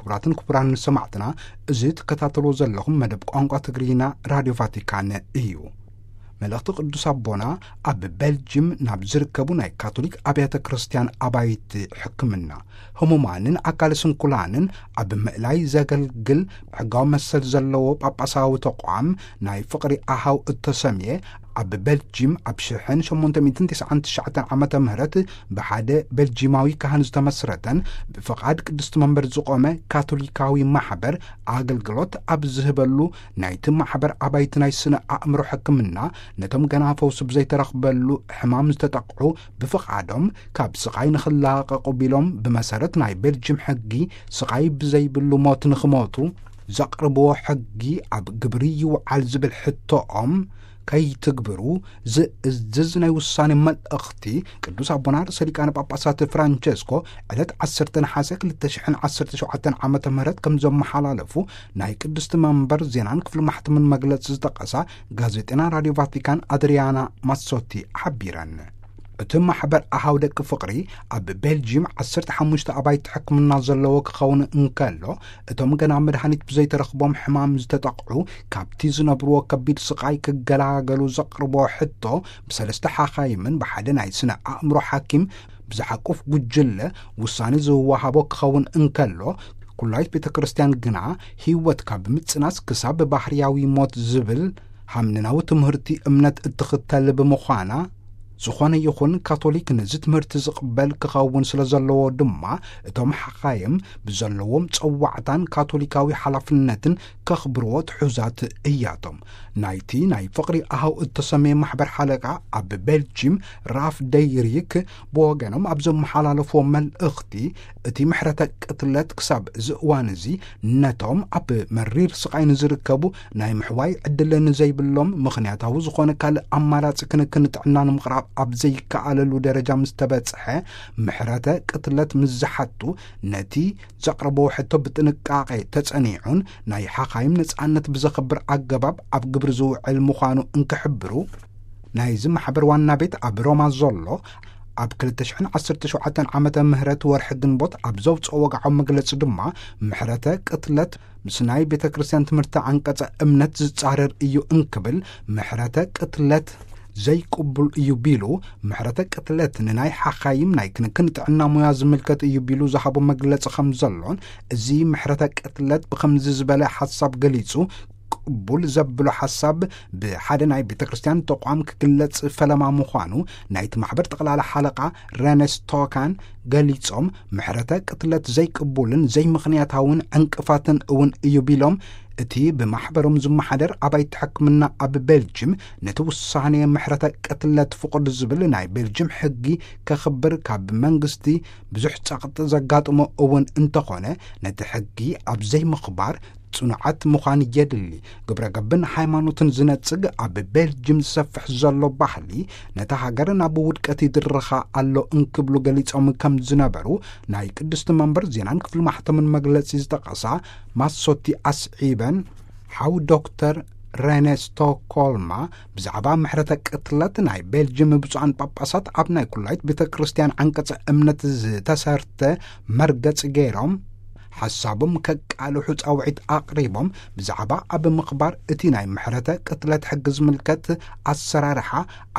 ክቡራትን ክቡራን ሰማዕትና፣ እዚ ትከታተልዎ ዘለኹም መደብ ቋንቋ ትግርኛ ራድዮ ቫቲካን እዩ። መልእኽቲ ቅዱስ ኣቦና ኣብ ቤልጅም ናብ ዝርከቡ ናይ ካቶሊክ ኣብያተ ክርስቲያን ኣባይቲ ሕክምና፣ ህሙማንን ኣካለ ስንኩላንን ኣብ ምእላይ ዘገልግል ሕጋዊ መሰል ዘለዎ ጳጳሳዊ ተቋም ናይ ፍቕሪ ኣሃው እተሰምየ፣ ኣብ ቤልጂም ኣብ ሽሕን ሸሞንተ ሚእትን ትስዓን ትሽዓተን ዓመተ ምህረት ብሓደ ቤልጂማዊ ካህን ዝተመስረተን ብፍቓድ ቅድስቲ መንበር ዝቖመ ካቶሊካዊ ማሕበር ኣገልግሎት ኣብ ዝህበሉ፣ ናይቲ ማሕበር ኣባይቲ ናይ ስነ ኣእምሮ ሕክምና፣ ነቶም ገና ፈውሲ ብዘይተረኽበሉ ሕማም ዝተጠቕዑ ብፍቓዶም ካብ ስቓይ ንኽላቐቑ ቢሎም ብመሰረት ናይ ቤልጂም ሕጊ ስቓይ ብዘይብሉ ሞት ንኽሞቱ ዘቕርብዎ ሕጊ ኣብ ግብሪ ይውዓል ዝብል ሕቶኦም ከይትግብሩ ዝእዝዝ ናይ ውሳኔ መልእኽቲ ቅዱስ ኣቦና ርእሰ ሊቃነ ጳጳሳት ፍራንቸስኮ ዕለት ዓሰርተ ነሓሰ ክልተ ሽሕን ዓሰርተ ሸውዓተን ዓመተ ምህረት ከም ዘመሓላለፉ ናይ ቅድስቲ መንበር ዜናን ክፍሊ ማሕተምን መግለጺ ዝጠቐሳ ጋዜጠና ራድዮ ቫቲካን ኣድሪያና ማሶቲ ሓቢረን። እቲ ማሕበር ኣሃው ደቂ ፍቕሪ ኣብ ቤልጂም ዓሰርተ ሓሙሽተ ኣባይቲ ሕክምና ዘለዎ ክኸውን እንከሎ፣ እቶም ገና መድሃኒት ብዘይተረኽቦም ሕማም ዝተጠቕዑ፣ ካብቲ ዝነብርዎ ከቢድ ስቓይ ክገላገሉ ዘቕርቦ ሕቶ፣ ብሰለስተ ሓኻይምን ብሓደ ናይ ስነ ኣእምሮ ሓኪም ብዝሓቁፍ ጉጅለ ውሳኔ ዝወሃቦ ክኸውን እንከሎ፣ ኩላይት ቤተ ክርስቲያን ግና ህይወት ካብ ምጽናስ ክሳብ ባህርያዊ ሞት ዝብል ሃምንናዊ ትምህርቲ እምነት እትኽተል ብምዃና፣ ዝኾነ ይኹን ካቶሊክ ነዚ ትምህርቲ ዝቕበል ክኸውን ስለ ዘለዎ ድማ፣ እቶም ሓኻይም ብዘለዎም ጸዋዕታን ካቶሊካዊ ሓላፍነትን ከኽብርዎ ትሑዛት እያቶም። ናይቲ ናይ ፍቕሪ ኣሃው እተሰመየ ማሕበር ሓለቃ ኣብ ቤልጂም ራፍ ደይሪክ ብወገኖም ኣብ ዘመሓላለፍዎ መልእኽቲ፣ እቲ ምሕረተ ቅትለት ክሳብ እዚ እዋን እዚ ነቶም ኣብ መሪር ስቓይ ንዝርከቡ ናይ ምሕዋይ ዕድል ንዘይብሎም፣ ምኽንያታዊ ዝኾነ ካልእ ኣማራጺ ክንክን ጥዕና ንምቕራብ ኣብ ዘይከኣለሉ ደረጃ ምስ ተበጽሐ፣ ምሕረተ ቅትለት ምስ ዝሓቱ፣ ነቲ ዘቕረብዎ ሕቶ ብጥንቃቄ ተጸኒዑን ናይ ሓኻይም ነጻነት ብዘኽብር ኣገባብ ኣብ ግብሪ ዝውዕል ምዃኑ እንክሕብሩ፣ ናይዚ ማሕበር ዋና ቤት ኣብ ሮማ ዘሎ ኣብ ክልተ ሽሕን ዓሰርተ ሸውዓተን ዓመተ ምህረት ወርሒ ግንቦት ኣብ ዘውጽኦ ወግዓዊ መግለጺ ድማ፣ ምሕረተ ቅትለት ምስ ናይ ቤተ ክርስቲያን ትምህርቲ ዓንቀጸ እምነት ዝጻረር እዩ እንክብል፣ ምሕረተ ቅትለት ዘይቅቡል እዩ ቢሉ፣ ምሕረተ ቅትለት ንናይ ሓኻይም ናይ ክንክን ጥዕና ሙያ ዝምልከት እዩ ቢሉ ዝሃቦ መግለጺ ከም ዘሎን፣ እዚ ምሕረተ ቅትለት ብኸምዚ ዝበለ ሓሳብ ገሊጹ፣ ቅቡል ዘብሎ ሓሳብ ብሓደ ናይ ቤተ ክርስቲያን ተቋም ክግለጽ ፈለማ ምዃኑ ናይቲ ማሕበር ጠቕላላ ሓለቃ ረነስ ቶካን ገሊጾም፣ ምሕረተ ቅትለት ዘይቅቡልን ዘይምኽንያታውን ዕንቅፋትን እውን እዩ ቢሎም፣ እቲ ብማሕበሮም ዝመሓደር ኣባይቲ ሕክምና ኣብ ቤልጅም ነቲ ውሳኔ ምሕረተ ቅትለት ፍቑድ ዝብል ናይ ቤልጅም ሕጊ ከኽብር ካብ መንግስቲ ብዙሕ ጸቕጢ ዘጋጥሞ እውን እንተኾነ፣ ነቲ ሕጊ ኣብ ዘይምኽባር ጽኑዓት ምዃን የድሊ። ግብረ ገብን ሃይማኖትን ዝነጽግ ኣብ ቤልጅም ዝሰፍሕ ዘሎ ባህሊ ነታ ሃገር ናብ ውድቀት ይድርኻ ኣሎ እንክብሉ ገሊጾም ከም ዝነበሩ ናይ ቅድስቲ መንበር ዜናን ክፍሊ ማሕተምን መግለጺ ዝጠቐሳ ማሶቲ ኣስዒበን፣ ሓው ዶክተር ረነ ስቶኮልማ ብዛዕባ ምሕረተ ቅትለት ናይ ቤልጅም ብፁዓን ጳጳሳት ኣብ ናይ ኩላይት ቤተ ክርስቲያን ዓንቀጸ እምነት ዝተሰርተ መርገጽ ገይሮም፣ ሓሳቦም ከቃልሑ ጻውዒት ኣቕሪቦም፣ ብዛዕባ ኣብ ምኽባር እቲ ናይ ምሕረተ ቅትለት ሕጊ ዝምልከት ኣሰራርሓ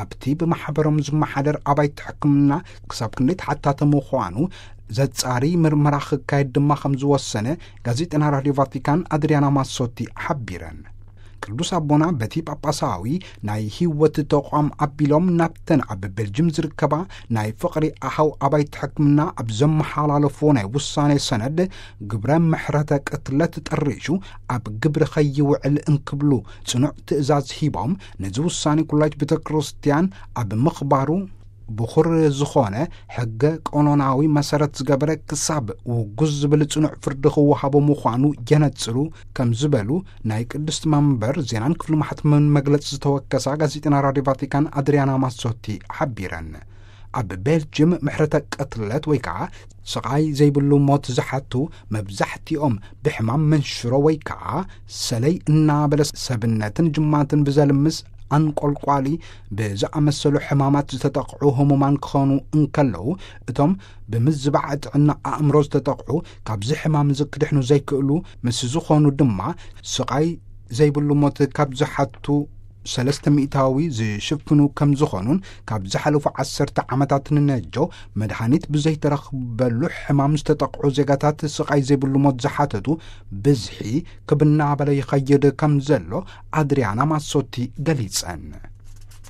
ኣብቲ ብማሕበሮም ዝመሓደር ኣባይቲ ሕክምና ክሳብ ክንደይ ተሓታተ ምዃኑ ዘጻሪ ምርመራ ክካየድ ድማ ከም ዝወሰነ ጋዜጠና ራድዮ ቫቲካን ኣድሪያና ማሶቲ ሓቢረን። ቅዱስ ኣቦና በቲ ጳጳሳዊ ናይ ህይወት ተቋም ኣቢሎም ናብተን ኣብ ቤልጅም ዝርከባ ናይ ፍቕሪ ኣሃው ኣባይቲ ሕክምና ኣብ ዘመሓላለፍዎ ናይ ውሳኔ ሰነድ፣ ግብረ ምሕረተ ቅትለት ጠሪሹ ኣብ ግብሪ ከይውዕል እንክብሉ ጽኑዕ ትእዛዝ ሂቦም፣ ነዚ ውሳኔ ኩላይት ቤተ ክርስቲያን ኣብ ምኽባሩ ብኹር ዝኾነ ሕገ ቀኖናዊ መሰረት ዝገበረ ክሳብ ውጉዝ ዝብል ጽኑዕ ፍርዲ ክወሃቦ ምዃኑ የነጽሩ ከም ዝበሉ ናይ ቅድስቲ መንበር ዜናን ክፍሊ ማሕተምን መግለጺ ዝተወከሳ ጋዜጠና ራድዮ ቫቲካን ኣድሪያና ማሶቲ ሓቢረን። ኣብ ቤልጅም ምሕረተ ቅትለት ወይ ከዓ ስቓይ ዘይብሉ ሞት ዝሓቱ መብዛሕትኦም ብሕማም መንሽሮ ወይ ከዓ ሰለይ እናበለ ሰብነትን ጅማትን ብዘልምስ ኣንቆልቋሊ ብዝኣመሰሉ ሕማማት ዝተጠቕዑ ህሙማን ክኾኑ እንከለዉ፣ እቶም ብምዝባዕ ጥዕና ኣእምሮ ዝተጠቕዑ፣ ካብዚ ሕማም እዚ ክድሕኑ ዘይክእሉ ምስ ዝኾኑ ድማ፣ ስቓይ ዘይብሉ ሞት ካብ ዝሓቱ ሰለስተ ሚእታዊ ዝሽፍኑ ከም ዝኾኑን፣ ካብ ዝሓለፉ ዓሰርተ ዓመታት ንነጆ መድሃኒት ብዘይተረኽበሉ ሕማም ዝተጠቕዑ ዜጋታት ስቓይ ዘይብሉ ሞት ዝሓተቱ ብዝሒ ክብናበለ ይኸይድ ከም ዘሎ ኣድሪያና ማሶቲ ገሊጸን።